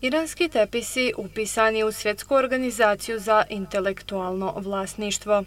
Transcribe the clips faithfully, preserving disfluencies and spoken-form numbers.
Iranski tepisi upisani u Svjetsku organizaciju za intelektualno vlasništvo.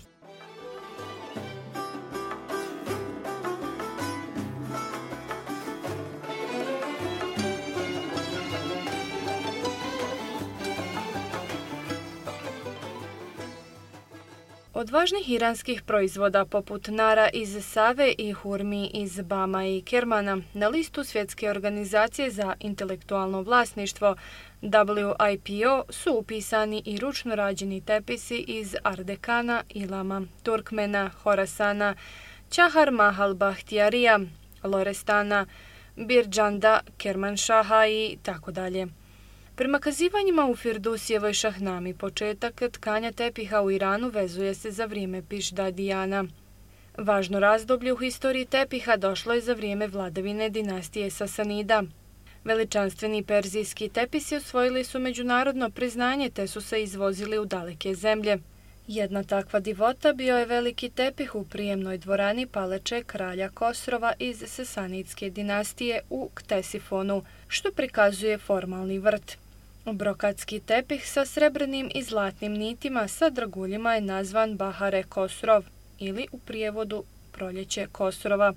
Od važnih iranskih proizvoda poput nara iz Save i hurmi iz Bama i Kermana na listu Svjetske organizacije za intelektualno vlasništvo W I P O su upisani i ručno rađeni tepisi iz Ardekana, Ilama, Turkmena, Horasana, Čahar Mahal Bahtijarija, Lorestana, Birđanda, Kermanšaha i tako dalje. Prema kazivanjima u Firdusijevoj Šahnami, početak tkanja tepiha u Iranu vezuje se za vrijeme Pišdadijana. Važno razdoblje u historiji tepiha došlo je za vrijeme vladavine dinastije Sasanida. Veličanstveni perzijski tepisi osvojili su međunarodno priznanje te su se izvozili u daleke zemlje. Jedna takva divota bio je veliki tepih u prijemnoj dvorani paleče kralja Kosrova iz Sasanidske dinastije u Ktesifonu, što prikazuje formalni vrt. Brokatski tepih sa srebrnim i zlatnim nitima sa draguljima je nazvan Bahare Kosrov ili u prijevodu proljeće Kosrova.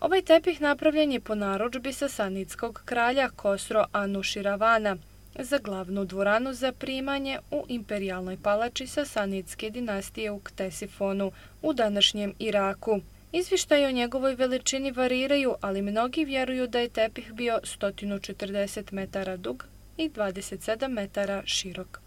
Ovaj tepih napravljen je po narudžbi sasanidskog kralja Kosro Anuširavana za glavnu dvoranu za primanje u imperijalnoj palači Sasanidske dinastije u Ktesifonu u današnjem Iraku. Izvještaji o njegovoj veličini variraju, ali mnogi vjeruju da je tepih bio sto četrdeset metara dug i dvadeset sedam metara širok.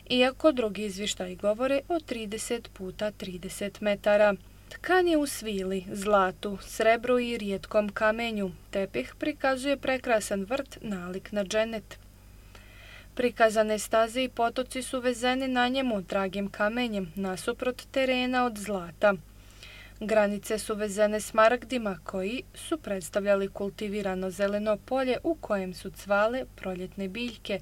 Iako drugi izvještaji govore o trideset puta trideset metara. Tkan je u svili, zlatu, srebru i rijetkom kamenju. Tepih prikazuje prekrasan vrt nalik na dženet. Prikazane staze i potoci su vezeni na njemu dragim kamenjem nasuprot terena od zlata. Granice su vezene smaragdima koji su predstavljali kultivirano zeleno polje u kojem su cvale proljetne biljke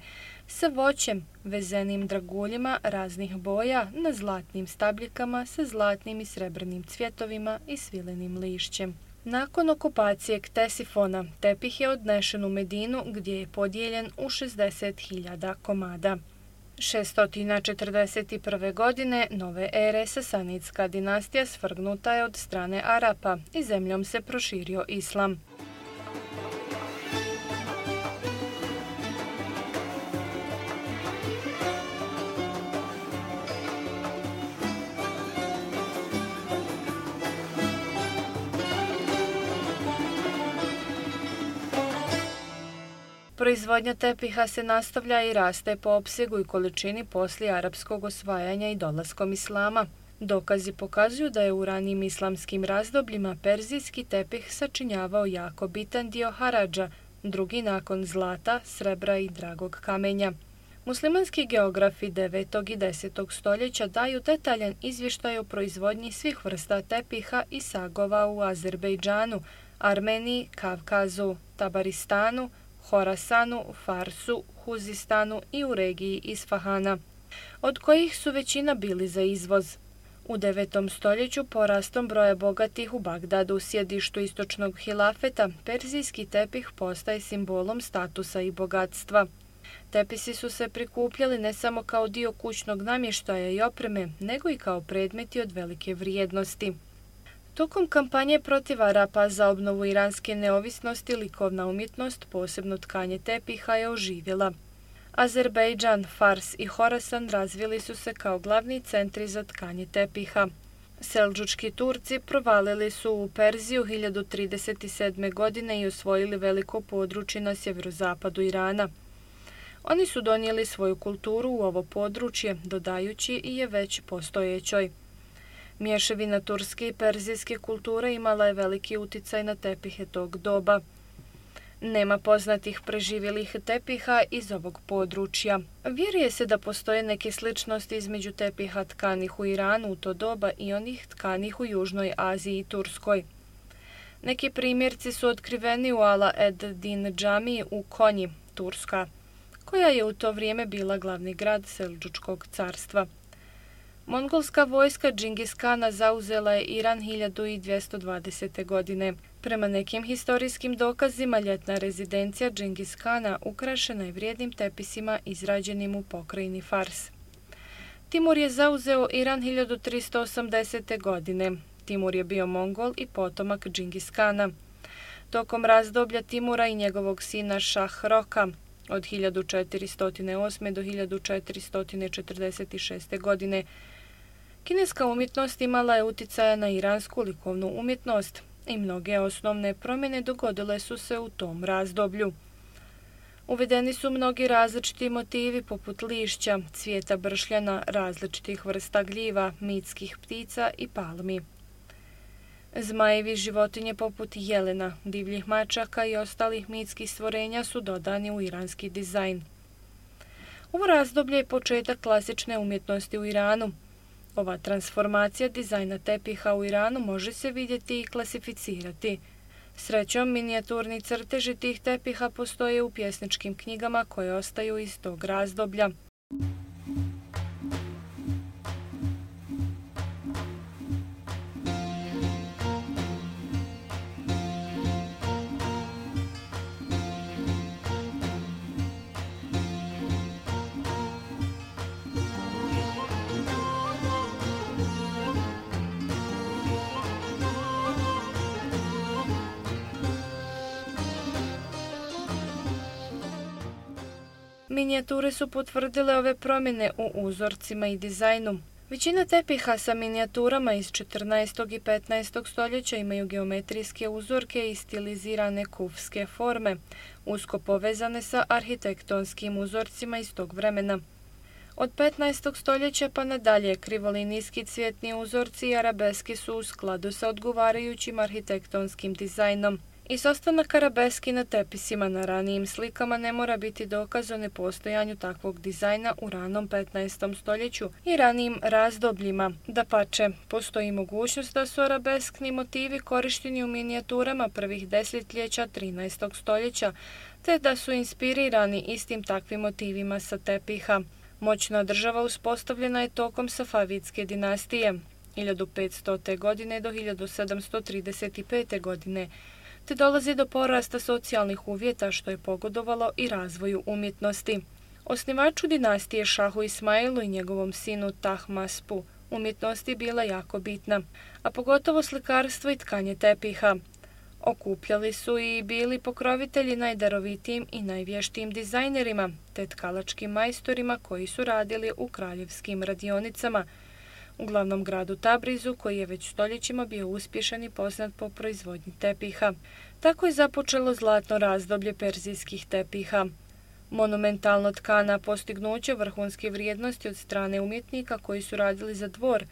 sa voćem vezenim draguljima raznih boja na zlatnim stabljikama sa zlatnim i srebrnim cvjetovima i svilenim lišćem. Nakon okupacije Ktesifona, tepih je odnešen u Medinu gdje je podijeljen u šezdeset hiljada komada. šesto četrdeset prve. godine nove ere Sasanidska dinastija svrgnuta je od strane Arapa i zemljom se proširio islam. Proizvodnja tepiha se nastavlja i raste po opsegu i količini poslije arapskog osvajanja i dolaskom islama. Dokazi pokazuju da je u ranijim islamskim razdobljima perzijski tepih sačinjavao jako bitan dio haradža, drugi nakon zlata, srebra i dragog kamenja. Muslimanski geografi devetog i desetog stoljeća daju detaljan izvještaj o proizvodnji svih vrsta tepiha i sagova u Azerbejdžanu, Armeniji, Kavkazu, Tabaristanu, Horasanu, Farsu, Huzistanu i u regiji Isfahana, od kojih su većina bili za izvoz. U devetom stoljeću porastom broja bogatih u Bagdadu, sjedištu istočnog hilafeta, perzijski tepih postaje simbolom statusa i bogatstva. Tepisi su se prikupljali ne samo kao dio kućnog namještaja i opreme, nego i kao predmeti od velike vrijednosti. Tokom kampanje protiv Arapa za obnovu iranske neovisnosti likovna umjetnost, posebno tkanje tepiha, je oživjela. Azerbejdžan, Fars i Horasan razvili su se kao glavni centri za tkanje tepiha. Seldžučki Turci provalili su u Perziju hiljadu trideset sedme. godine i osvojili veliko područje na sjeverozapadu Irana. Oni su donijeli svoju kulturu u ovo područje, dodajući i je već postojećoj. Mješavina turske i perzijske kulture imala je veliki uticaj na tepihe tog doba. Nema poznatih preživjelih tepiha iz ovog područja. Vjeruje se da postoje neke sličnosti između tepiha tkanih u Iranu u to doba i onih tkanih u Južnoj Aziji i Turskoj. Neki primjerci su otkriveni u Ala ed-Din džamiji u Konji, Turska, koja je u to vrijeme bila glavni grad Seldžučkog carstva. Mongolska vojska Džingis Kana zauzela je Iran hiljadu dvjesto dvadesete. godine. Prema nekim historijskim dokazima, ljetna rezidencija Džingis Kana ukrašena je vrijednim tepisima izrađenim u pokrajini Fars. Timur je zauzeo Iran hiljadu tristo osamdesete. godine. Timur je bio Mongol i potomak Džingis Kana. Tokom razdoblja Timura i njegovog sina Šah Roka od hiljadu četiristo osme. do hiljadu četiristo četrdeset šeste. godine kineska umjetnost imala je uticaja na iransku likovnu umjetnost i mnoge osnovne promjene dogodile su se u tom razdoblju. Uvedeni su mnogi različiti motivi poput lišća, cvijeta bršljana, različitih vrsta gljiva, mitskih ptica i palmi. Zmajevi životinje poput jelena, divljih mačaka i ostalih mitskih stvorenja su dodani u iranski dizajn. Ovo razdoblje je početak klasične umjetnosti u Iranu. Ova transformacija dizajna tepiha u Iranu može se vidjeti i klasificirati. Srećom, minijaturni crteži tih tepiha postoje u pjesničkim knjigama koje ostaju iz tog razdoblja. Minijature su potvrdile ove promjene u uzorcima i dizajnu. Većina tepiha sa minijaturama iz četrnaestog i petnaestog stoljeća imaju geometrijske uzorke i stilizirane kufske forme, usko povezane sa arhitektonskim uzorcima iz tog vremena. Od petnaestog stoljeća pa nadalje krivolinijski cvjetni uzorci i arabeski su u skladu sa odgovarajućim arhitektonskim dizajnom. Izostanak arabeski na tepisima na ranijim slikama ne mora biti dokaz o nepostojanju takvog dizajna u ranom petnaestom stoljeću i ranijim razdobljima. Dapače, postoji mogućnost da su arabeskni motivi korišteni u minijaturama prvih desetljeća trinaestog stoljeća, te da su inspirirani istim takvim motivima sa tepiha. Moćna država uspostavljena je tokom Safavidske dinastije, hiljadu petstote. godine do hiljadu sedamsto trideset pete. godine, te dolazi do porasta socijalnih uvjeta što je pogodovalo i razvoju umjetnosti. Osnivaču dinastije Šahu Ismailu i njegovom sinu Tahmaspu umjetnost je bila jako bitna, a pogotovo slikarstvo i tkanje tepiha. Okupljali su i bili pokrovitelji najdarovitijim i najvještijim dizajnerima, te tkalačkim majstorima koji su radili u kraljevskim radionicama, u glavnom gradu Tabrizu, koji je već stoljećima bio uspješan i poznat po proizvodnji tepiha. Tako je započelo zlatno razdoblje perzijskih tepiha. Monumentalno tkana postignuće vrhunske vrijednosti od strane umjetnika koji su radili za dvor,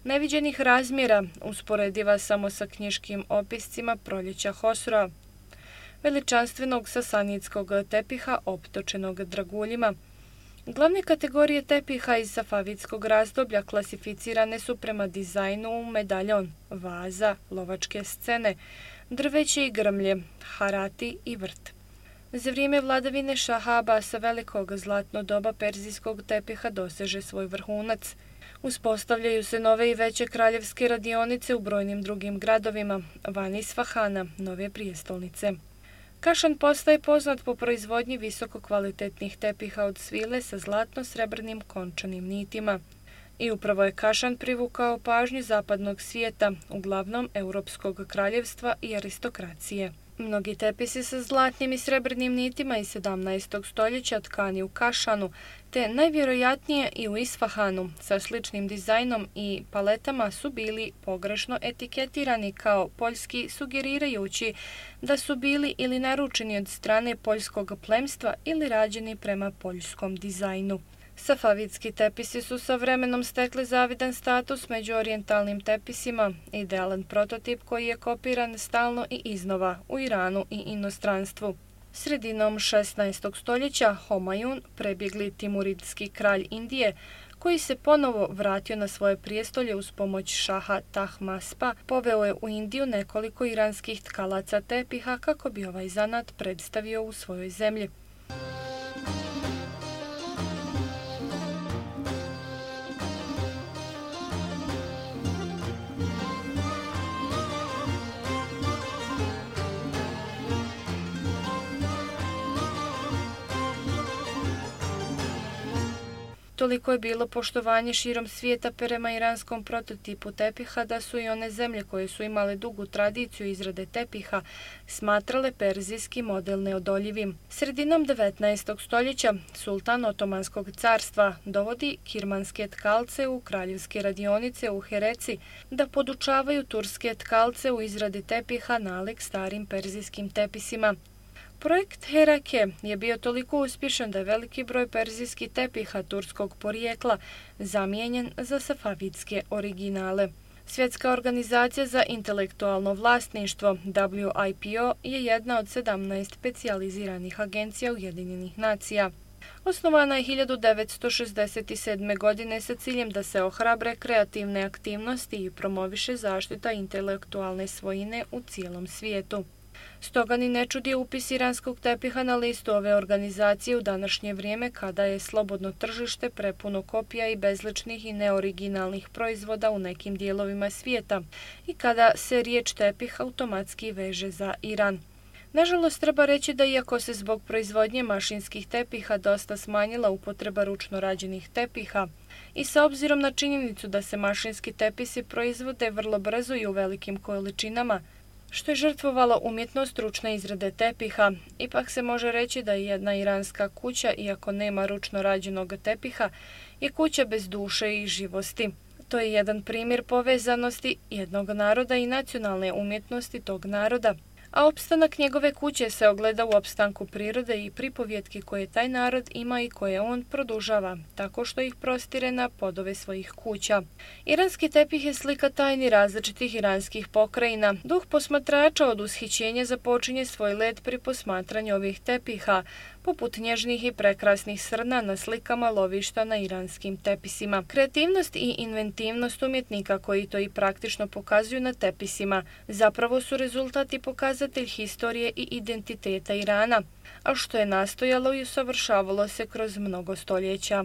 neviđenih razmjera, usporediva samo sa knjiškim opiscima proljeća Hosroa, veličanstvenog sasanidskog tepiha optočenog draguljima. Glavne kategorije tepiha iz safavidskog razdoblja klasificirane su prema dizajnu medaljon, vaza, lovačke scene, drveće i grmlje, harati i vrt. Za vrijeme vladavine Šaha Abasa Velikog zlatno doba perzijskog tepiha doseže svoj vrhunac. Uspostavljaju se nove i veće kraljevske radionice u brojnim drugim gradovima, van Isfahana, nove prijestolnice. Kašan postaje poznat po proizvodnji visoko kvalitetnih tepiha od svile sa zlatno-srebrnim končanim nitima. I upravo je Kašan privukao pažnju zapadnog svijeta, uglavnom Europskog kraljevstva i aristokracije. Mnogi tepisi sa zlatnim i srebrnim nitima iz sedamnaestog stoljeća tkani u Kašanu, te najvjerojatnije i u Isfahanu sa sličnim dizajnom i paletama su bili pogrešno etiketirani kao poljski, sugerirajući da su bili ili naručeni od strane poljskog plemstva ili rađeni prema poljskom dizajnu. Safavidski tepisi su sa vremenom stekli zavidan status među orijentalnim tepisima, idealan prototip koji je kopiran stalno i iznova u Iranu i inostranstvu. Sredinom šesnaestog stoljeća Homajun, prebjegli timuridski kralj Indije, koji se ponovo vratio na svoje prijestolje uz pomoć šaha Tahmaspa, poveo je u Indiju nekoliko iranskih tkalaca tepiha kako bi ovaj zanat predstavio u svojoj zemlji. Toliko je bilo poštovanje širom svijeta prema iranskom prototipu tepiha da su i one zemlje koje su imale dugu tradiciju izrade tepiha smatrale perzijski model neodoljivim. Sredinom devetnaestog stoljeća sultan Otomanskog carstva dovodi kirmanske tkalce u kraljevske radionice u Hereci da podučavaju turske tkalce u izradi tepiha nalik starim perzijskim tepisima. Projekt Herake je bio toliko uspješan da je veliki broj perzijskih tepiha turskog porijekla zamijenjen za safavidske originale. Svjetska organizacija za intelektualno vlasništvo W I P O je jedna od sedamnaest specijaliziranih agencija Ujedinjenih nacija. Osnovana je hiljadu devetsto šezdeset sedme. godine sa ciljem da se ohrabre kreativne aktivnosti i promoviše zaštita intelektualne svojine u cijelom svijetu. Stoga ni ne čudi upis iranskog tepiha na listu ove organizacije u današnje vrijeme kada je slobodno tržište prepuno kopija i bezličnih i neoriginalnih proizvoda u nekim dijelovima svijeta i kada se riječ tepih automatski veže za Iran. Nažalost, treba reći da iako se zbog proizvodnje mašinskih tepiha dosta smanjila upotreba ručno rađenih tepiha i sa obzirom na činjenicu da se mašinski tepisi proizvode vrlo brzo i u velikim količinama, što je žrtvovalo umjetnost ručne izrade tepiha, ipak se može reći da je jedna iranska kuća, iako nema ručno rađenog tepiha, je kuća bez duše i živosti. To je jedan primjer povezanosti jednog naroda i nacionalne umjetnosti tog naroda, a opstanak njegove kuće se ogleda u opstanku prirode i pripovjetki koje taj narod ima i koje on produžava, tako što ih prostire na podove svojih kuća. Iranski tepih je slika tajni različitih iranskih pokrajina. Duh posmatrača od ushićenja započinje svoj let pri posmatranju ovih tepiha, poput nježnih i prekrasnih srna na slikama lovišta na iranskim tepisima. Kreativnost i inventivnost umjetnika koji to i praktično pokazuju na tepisima zapravo su rezultat i pokazatelj historije i identiteta Irana, a što je nastojalo i usavršavalo se kroz mnogo stoljeća.